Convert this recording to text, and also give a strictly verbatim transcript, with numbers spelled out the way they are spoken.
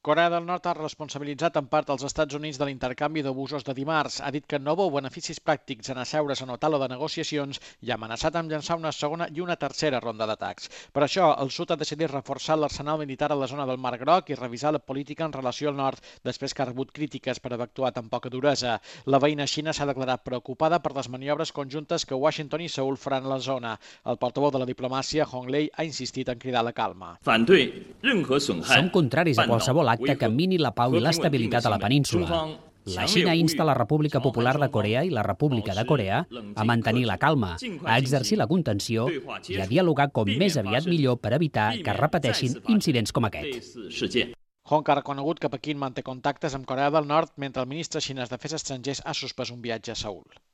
Corea del Nord ha responsabilitzat en part els Estats Units de l'intercanvi d'abusos de dimarts. Ha dit que no veu beneficis pràctics en asseure's en una taula de negociacions i ha amenaçat amb llançar una segona i una tercera ronda d'atacs. Per això, el sud ha decidit reforçar l'arsenal militar a la zona del Mar Groc i revisar la política en relació al nord, després que ha rebut crítiques per haver actuat amb poca duresa. La veïna Xina s'ha declarat preocupada per les maniobres conjuntes que Washington i Seul faran a la zona. El portaveu de la diplomàcia, Hong Lei, ha insistit en cridar la calma. Som contraris a qualsevol acte que mini la pau i l'estabilitat a la península. La Xina insta la República Popular de Corea i la República de Corea a mantenir la calma, a exercir la contenció i a dialogar com més aviat millor per evitar que es repeteixin incidents com aquest. Hong ha reconegut que Pequín manté contactes amb Corea del Nord mentre el ministre xinès d'Afers Estrangers ha suspès un viatge a Seül.